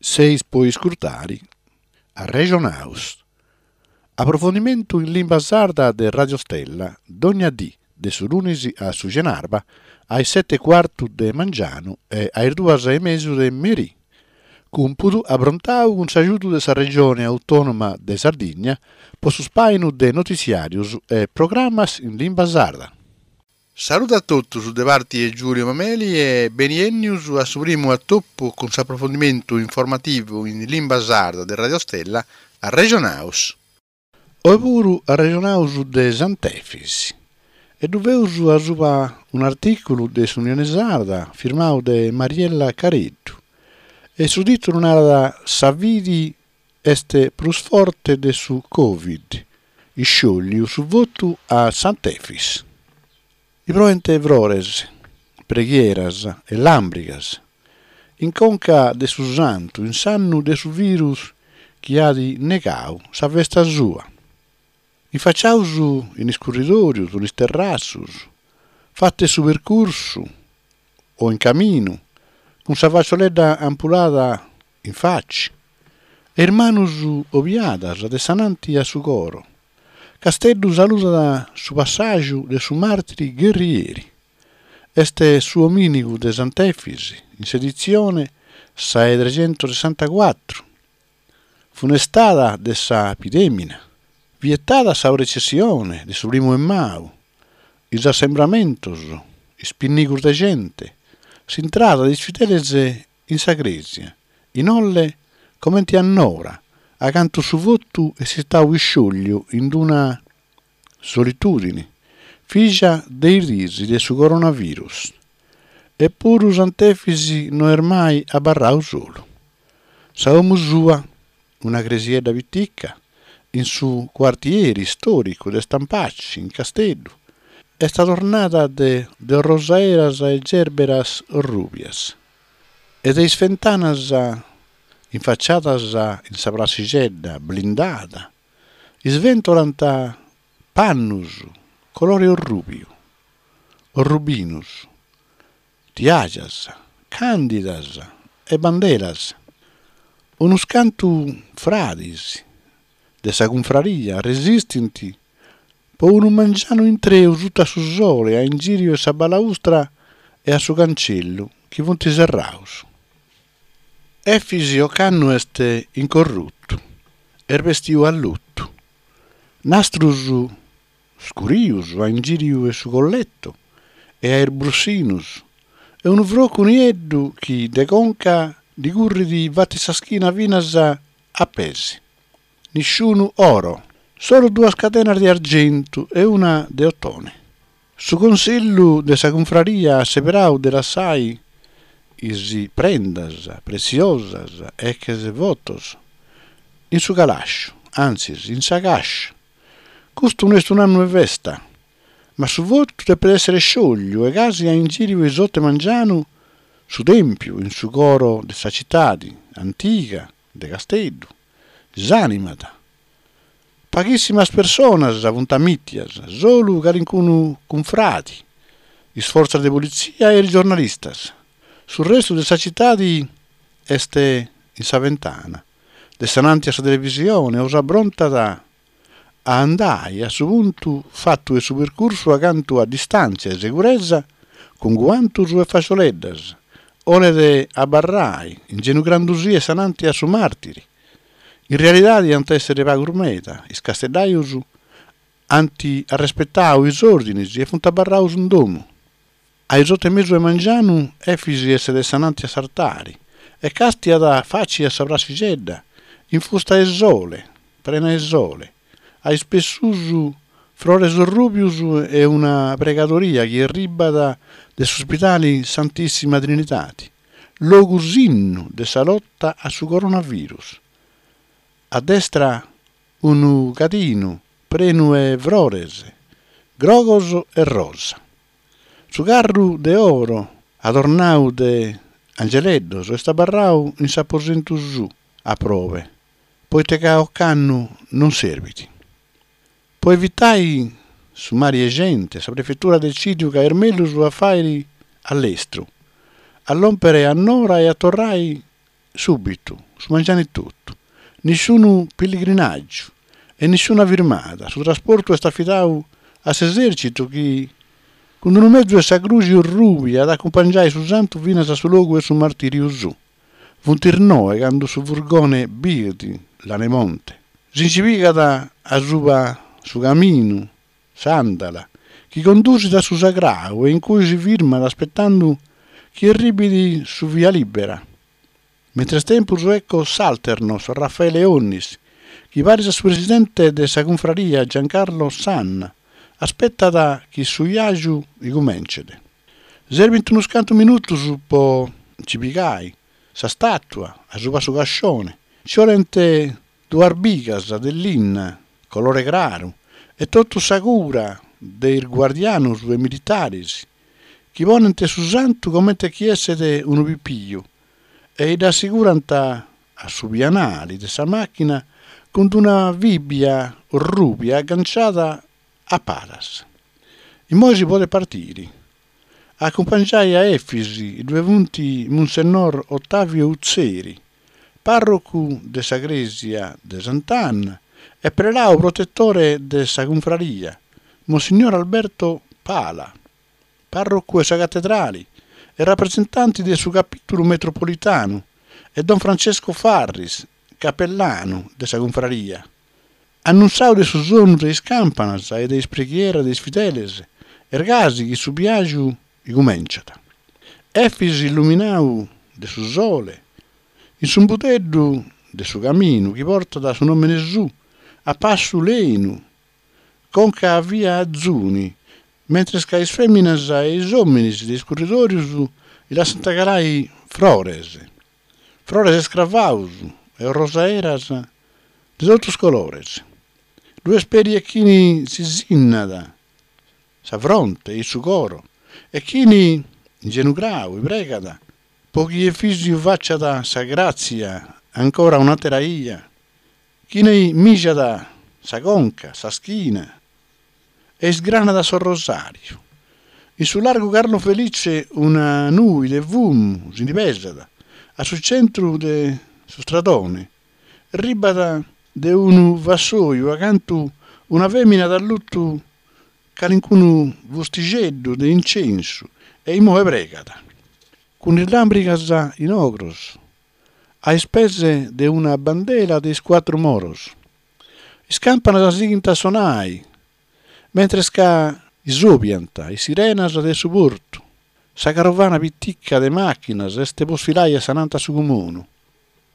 Seis po iscurtari Arrexonaus. Aprofondimentu in limba sarda de Radio Stella, dogna dì, de su lunis a su cenarba, a is seti e cuartu de mangianu e a is duas e mesu de merì. Cumpudu aprontau cun s'agiudu de sa Regione Autònoma de Sardigna po su spàinu de notitziàrius e programas in limba sarda. Saludu a totus de parti 'e Giulio Mameli e beniennius a su primu atopu cun s'aprofondimentu informativu in limba sarda de Radio Stella Arrexonaus. Oi puru arrexonaus de Sant'Efis e ddu feus asuba un'artìculu de s'Unione Sarda firmau de Mariella Careddu e su tìtulu narat Sa fidi est prus forte de su Covid, isciòlliu su votu a Sant'Efis. Bi proent frores, preghieras e làmbrigas in conca de su santu in s'annu de su virus chi at negau sa festa sua. Infaciaus in is curridòrius, in is terrassus, fatu 'e su percursu o in caminu, cun sa facioledda ampulada in faci e is manus obiadas de s'ananti a su coro, Casteddu saludat su passàgiu de su màrtiri gherrieri. Est su omìnigu de Sant'Efis in s'editzione sa 'e trexentosessantacuatru, funestada de sa pidèmina, vietada sa precessione de su primu 'e maju, is assembramentos, is pinnigus de gente, s'intrada de is fideles in sa crèsia, in Olle comenti a Nora, acantu su votu est istau isciòlliu in d-una solitùdini, fìgia de is diis de su coronavirus. Epuru Sant'Efis no est mai abarrau solu. Sa 'omu sua, una cresiedda pitica, in su cuartieri istòricu de Stampaci, in Casteddu, est adornada de orrosaeras e gerberas orrùbias e de is fentanas infaciadas in sa prassixedda blindada isventolant pannus colori orrùbiu, orrubinus, tiàgias, càndidas e banderas. Unus cantu fradis de sa cunfraria resistint po unu mangianu intreu suta su sole a ingìriu 'e sa balaustra e a su cancellu chi funt serraus. Efis ocannu est incorrutu, est bestiu a lutu. Nastrus scurius a ingìriu 'e su colletu e a is brussinus e unu frocu nieddu chi de conca ddi currit fatu sa schina finas a pes. Nisciunu oro, solu duas cadenas de argentu e una de otone. Su consillu de sa cunfraria at seberau de lassai is prendas pretziosas e ex votos in su calàsciu, antzis in sa càscia. Custu no est un'annu 'e festa, ma su votu depet èssere sciògliu e casi a ingìriu 'e is oto 'e mangianu su tèmpiu in su coro de sa citadi antiga de Casteddu s'ànimat. Paghissimas personas funt amìtias, solu calincunu cunfradi, is fortzas de politzia e is giornalistas. Su restu de sa citadi est in sa ventana, de s'ananti a sa televisione o s'abrontat a andai a su puntu fatu 'e su percursu acantu a distàntzia 'e seguresa cun guantus e facioleddas, 'olet abarrai ingenugrandusì 'e s'ananti a su màrtiri. In realidadi ant èssere pagus meda, is casteddajus ant arrespetau is òrdinis e funt abarraus in domu. A is oto e mesu 'e mangianu Efis est de s'ananti a s'artari e càstiat faci a sa prassixedda, infusta 'e sole, prena 'e sole, a is pes suus frores orrùbius e una pregadoria chi erribat de s'Ospidali Santissima Trinidadi, logu sinnu de sa lota a su coronavirus. A destra unu cadinu prenu 'e frores, grogos e rosa. Su carru de oro adornau de angeleddos est abarrau in s'aposentu suu a probe, poite ca ocannu non serbit. Po evitai su mari 'e gente, sa prefetura at decìdiu ca est mellus a fàiri a lestru, a lòmpere a Nora e a torrai. Subitu, su mangianu etotu. Nisciunu pilligrinàgiu e nisciuna firmada, su trasportu est afidau a s'esèrcitu chi cun unu mezu 'e sa Cruxi Orrùbia at a acumpangiai su santu finas a su logu 'e su martìriu suu. Funt is noe candu su furgone biit Lanemonte. Si nci pigat asuba su caminu, s'àndala, chi condusit a su sagrau e in cui si firmat aspetandu chi erribit su via libera. Mentres tempus ecco s'Alternos Raffaele Onnis, chi paris a su presidente de sa cunfraria Giancarlo Sanna, aspetat chi su viàgiu icumencet. Serbint unus cantu minutus po nci pigai sa stàtua asuba su cascione, nci 'olent duas bigas de linna colore craru e totu sa cura de is guardianus e militaris chi ponent su santu comente chi esset unu pipiu e dd'assegurant a su pianali de sa màchina cun d'una fibbia orrubia agganciada a palas. Immoi si podet partiri. A acumpangiai a Efis ddue funt Munsennor Ottavio Utzeri, pàrrocu de sa crèsia de Sant'Anna e prelau protetore de sa cunfraria, Monsignor Alberto Pala, pàrrocu 'e sa catedrali e rapresentanti de su Capìtulu Metropolitanu e Don Francesco Farris, capellanu de sa cunfraria. Annuntziau de su sonu de is campanas e de is preghieras de is fideles, est gasi chi su biàgiu icumenciat. Efis illuminau de su sole, in s'umbudeddu de su caminu chi portat su nòmene suu, a passu lenu, conca a via Azuni, mentres ca is fèminas e is òminis de is curridòrius i lassant calai frores, frores scravaus e orrosaeras de totus is colores. Ddu est peri e chini si sinnat sa fronte e su coro e chini, ingenugrau, i pregat po chi Efisiu faciat sa gràtzia ancora un'àtera 'ia, chini mìgiat sa conca, sa schina e isgranat s'orrosàriu. In su largu Carlo Felice una nui de fumu si ndi pesat a su centru de su stradone, 'rribat de unu vassoiu acantu una fèmina at allutu calincunu fustixeddu de incensu e immoe pregat, cun is làmbrigas in ogros, a is pes de una bandela de is cuatru moros. Is campanas sighint a sonai, mentres ca isobiant is sirenas de su portu. Sa carovana pitica de màchinas est po sfilai a s'ananta su cumunu.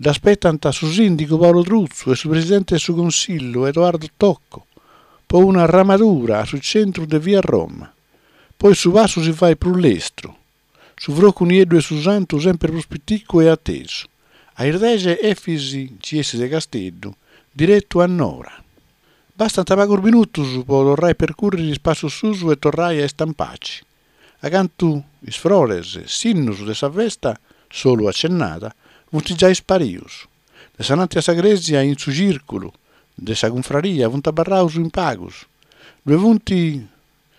Dd'aspetant su sìndigu Paolo Truzzu e su presidente de su Consillu Edoardo Tocco po una ramadura a su centru de via Roma. Poi su passu si fait prus lestru. Su frocu nieddu 'e su santu semper prus piticu e atesu. A is dexe Efis nci essit de Casteddu, diretu a Nora. Bastant pagus minutus po torrai percurriri is passus suus e torrai a Istampaci. Acantu is frores, sinnus de sa festa, solu acennada, funt giai sparius. De s'ananti a sa crèsia in su cìrculu de sa cunfraria funt abarraus in pagus. Ddue funt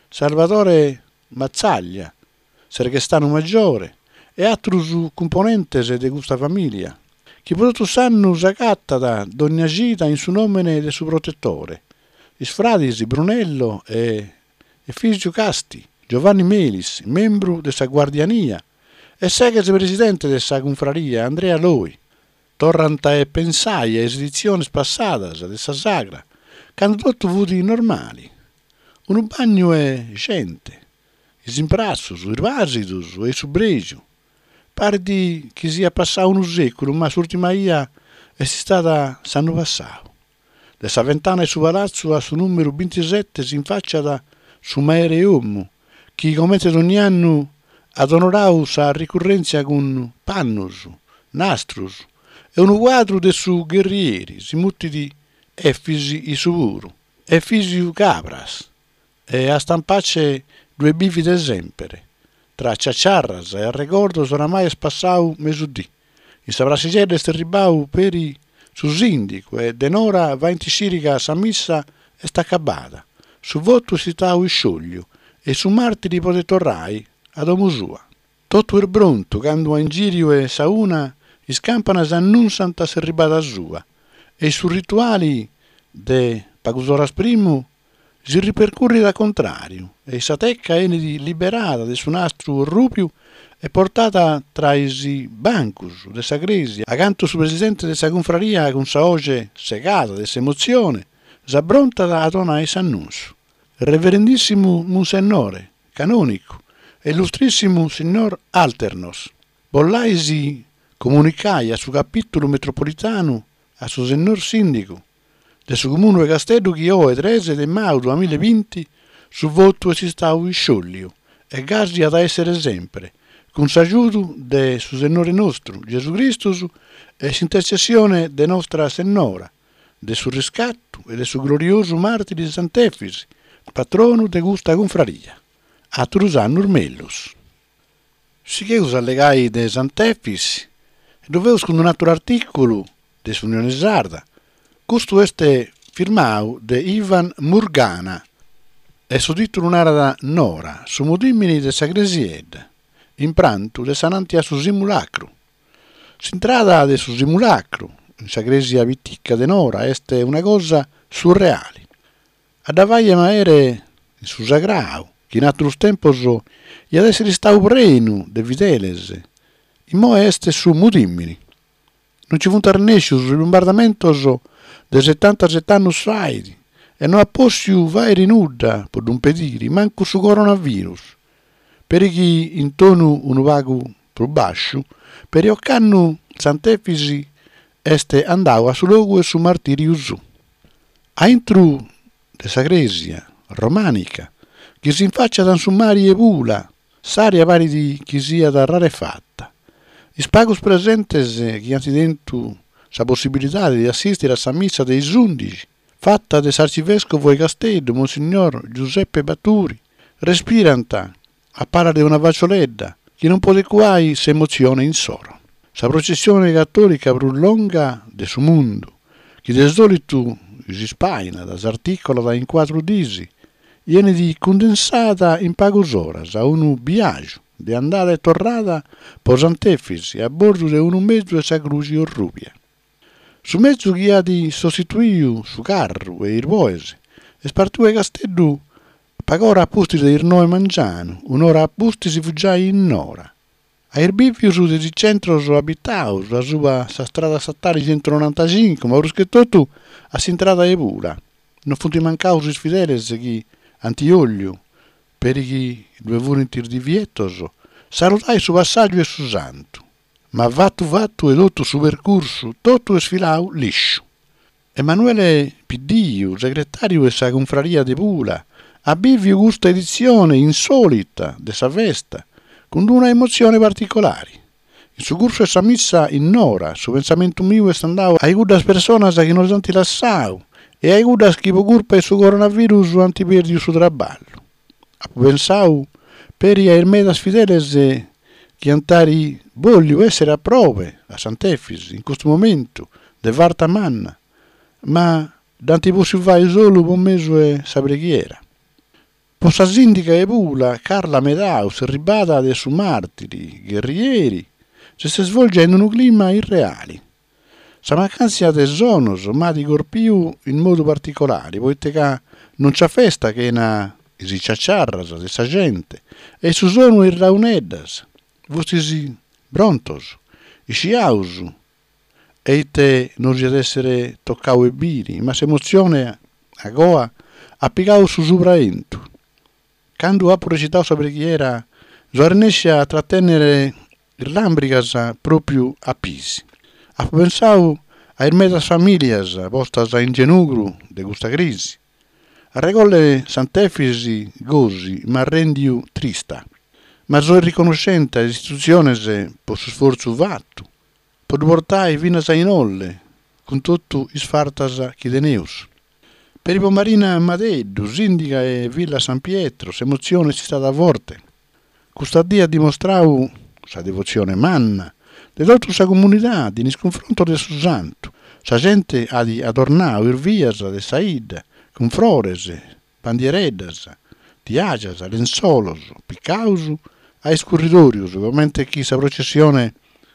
Salvatore Mazzaglia, Serghestanu Maggiore e àterus cumponentes de custa famìlia, chi po totu s'annu s'agatat dònnia cida in su nòmene de su protetore, is fradis Brunello e Efisio Casti, Giovanni Melis, membru de sa Guardiania, e s'ex presidente de sa cunfraria Andrea Loi. Torrant a pensai a is editziones passadas de sa sagra, candu totu fut normali. Unu bagnu 'e gente, is imprassus, is bàsidus e su prexu. Parit chi siat passau unu sèculu ma s'ùrtima 'ia est istada s'annu passau. De sa ventana 'e su palatzu a su nùmeru bintisete s'infàciat su mere 'e 'omu, chi comente dogni annu at onorau sa ricurrèntzia cun pannus, nastrus e unu cuadru de su gherrieri, si mutit Efis issu puru, Efisiu Cabras, e a Stampace ddue bivit de semper. Tra ciaciarras e arregordos oramai est passau mesudì. In sa prassixedda est erribau peri su sìndigu e de Nora faint sciri ca sa missa est acabada, su votu est istau isciògliu e su màrtiri podet torrai a domu sua. Totu est prontu candu a ingìriu 'e sa una. Is campanas annunsant s'erribada sua e su rituali de pagus oras primu si ripercurrit a contràriu e sa teca 'enit liberada de su nastru orrùbiu e portada tra is bancus de sa crèsia acantu su presidente de sa cunfraria cun sa 'oxe segada de s'emotzione s'abrontat a donai s'annunsu. Reverendìssimu Munsennore, canònicu e illustrìssimu signor Alternos, bollais comunicai a su Capìtulu Metropolitanu, a su sennor Sìndigu de su Comunu 'e Casteddu chi oe tres de maju duamilla e binti su votu est istau isciòlliu e gasi at a èssere sempre, cun s'agiudu de su Sennore nostru Gesù Cristus e s'intertzessione de Nostra Sennora de su Riscattu e de su gloriosu màrtiri Sant'Efis, patronu de custa cunfraria. Àturus annus mellus. Sigheus a allegai de Sant'Efis e ddu feus cun un'àteru artìculu de s'Unione Sarda. Custu est firmau de Ivan Murgana e su tìtulu narat Nora, su mudìmini de sa cresiedda, in prantu de s'ananti a su simulacru. S'intrada de su simulacru in sa crèsia pitica de Nora est una cosa surreali. A dda fai maere in su sagrau, chi in àterus tempos iat èssere istau prenu de fideles, immoe est su mudìmini. Non nci funt arrennèscius is bombardamentos de setantaset'annus fait e no at pòssiu fàiri nudda po ddu impediri, mancu su coronavirus. Peri chi in tonu unu pagu prus bàsciu, peri ocannu Sant'Efis est andau a su logu 'e su martìriu suu. A intru de sa crèsia romànica, chi s'infàciat in su mari 'e Pula, s'ària parit chi siat rarefata. Is pagus presentes chi ant tentu sa possibilidade de assìstiri a sa missa de is ùndixi, fata de s'arcivèscovu 'e Casteddu, Monsignor Giuseppe Baturi, respirant a palas de una facioledda chi non podet cuai s'emotzione insoro. Sa processione catòlica prus longa de su mundu, chi de sòlitu si spainat, s'articolat in cuatru dis, 'enit cundensada in pagus oras a unu biàgiu de andada e torrada po Sant'Efis a bordu de unu mezu 'e sa Cruxi Orrùbia. Su mezu chi at sostituiu su carru e is boes est partiu 'e Casteddu Pag'ora a pustis de is noe mangianu, un'ora a pustis fut giai in Nora. A is bìvius de is centros abitaus asuba sa strada statali centunonantacincu, ma prus che totu a s'intrada 'e Pula, non funt mancaus is fideles chi ant 'òliu, peri chi ddue furint is divietos, saludai su passàgiu 'e su santu. Ma fatu fatu 'e totu su percursu, totu est filau lìsciu. Emanuele Piddiu, segretàriu 'e sa Cunfraria de Pula, at bìviu custa editzione insòlita de sa festa cun d'una emotzione particolari. In su cursu 'e sa missa in Nora, su pensamentu miu est andau a cuddas personas chi nos ant lassau e a cuddas chi po curpa 'e su coronavirus ant pèrdiu su traballu. Apu pensau peri a is medas fideles chi ant ari bòlliu èssere a probe a Sant'Efis in custu momentu de farta manna, ma dd'ant pòssiu fai solu po mesu 'e sa preghiera. Po sa sìndiga 'e Pula, Carla Medau, s'erribada de su màrtiri gherrieri s'est svolgendi unu clima irreali. Sa mancàntzia de sonos m'at corpiu in modu particolari, poite ca non nc'at festa chena is ciaciarras de sa gente e su sonu 'e is launeddas. Fustis prontos, isciaus e ite nos iat èssere tocau 'e biri, ma s'emotzione agoa at pigau su subraentu. Candu apu recitau sa preghiera so arrennescia a tratènnere is làmbrigas pròpiu a pisi. Apu pensau a is medas famìlias postas in genugru de custa crisi. Arregolle Sant'Efis gosi m'at rèndiu trista, ma soi riconoscente a is istitutziones po su sfortzu fatu po ddu portai finas a inolle cun totu is fartas chi teneus. Peri po Marina Madeddu, sìndiga 'e Villa San Pietro, s'emotzione est istada forte. Custa die at dimostrau sa devotzione manna de totu sa comunidade in is cunfrontos de su santu. Sa gente at adornau is vias de sa 'idda cun frores, bandiereddas, tiàgias, lentzolos picaus a iscurridòrios, comente chi sa processione.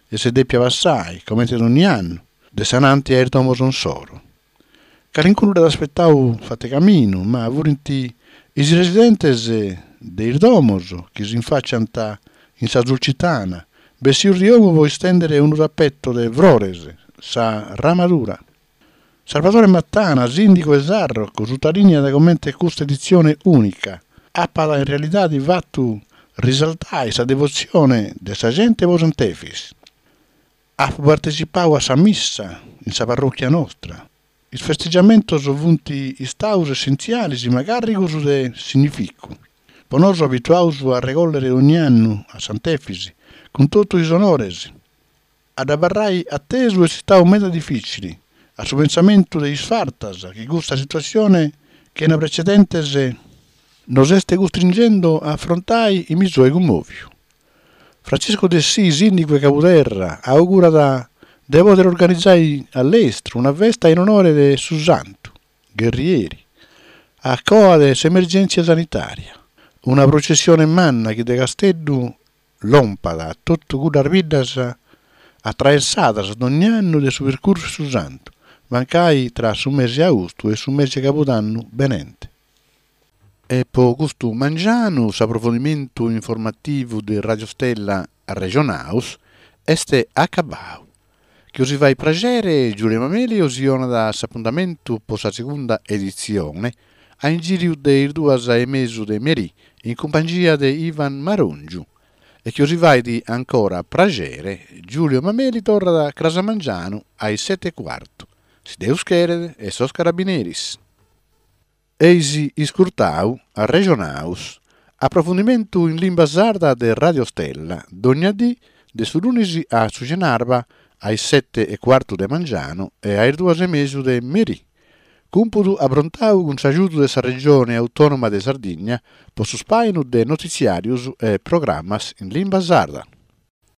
Est dèpia passai, comente donni annu, de s'ananti a is domos insoro. Calincunu dd'at aspetau fat'e caminu, ma furint is residentes de is domos chi s'infàciant in sa Sulcitana, bessius di 'omu po istèndere unu tapeto de frores, sa ramadura. Salvatore Mattana, sìndigu 'e Sarroch, sutalìniat comente custa editzione ùnica apat in realidade fatu risaltai sa devotzione de sa gente po Sant'Efis. Apu partetzipau a sa missa in sa parròchia nostra. Is festegiamentos funt istaus essentziales ma càrrigos de significu. Po nosu abituaus a arregòllere ogni annu a Sant'Efis cun totu is onores. A dd'abarrai atesu est istau meda difìcili, a su pensamentu de is fartas chi custa situatzione chena precedentes nos est custringendo a afrontai mi soe cummòviu. Francisco Dessì, sìndigu 'e Cabuderra, augurat de pòdere organizai a lestru una festa in onore de su santu gherrieri, a coa de s'emergèntzia sanitària, una processione manna chi de Casteddu lompat a totu cuddas biddas atraessadas dogn'annu de su percursu 'e su santu, mancai tra su mesi 'e austu e su mesi 'e cabudannu benente. E po custu mangianu s'aprofondimentu informativu de Radio Stella Arrexonaus est acabau. Chi 'osi fait praxere Giulio Mameli 'osi 'onat s'apuntamentu po sa segunda editzione a ingìriu de is duas e mesu de merì in cumpangia de Ivan Marongiu. E chi 'osi fait ancora praxere Giulio Mameli torrat cras a mangianu a is sete e cuartu, si Deus cheret e sos carabineris. Eis iscurtau Arrexonaus, aprofundimentu in limba sarda de Radio Stella, dogna dì de su lunis a su cenarba a is sete e cuartu de mangianu e a is duas e mesu de merì. Cumpudu aprontau cun s'agiudu de sa Regione Autònoma de Sardigna po su spàinu de notitziàrius e programas in limba sarda.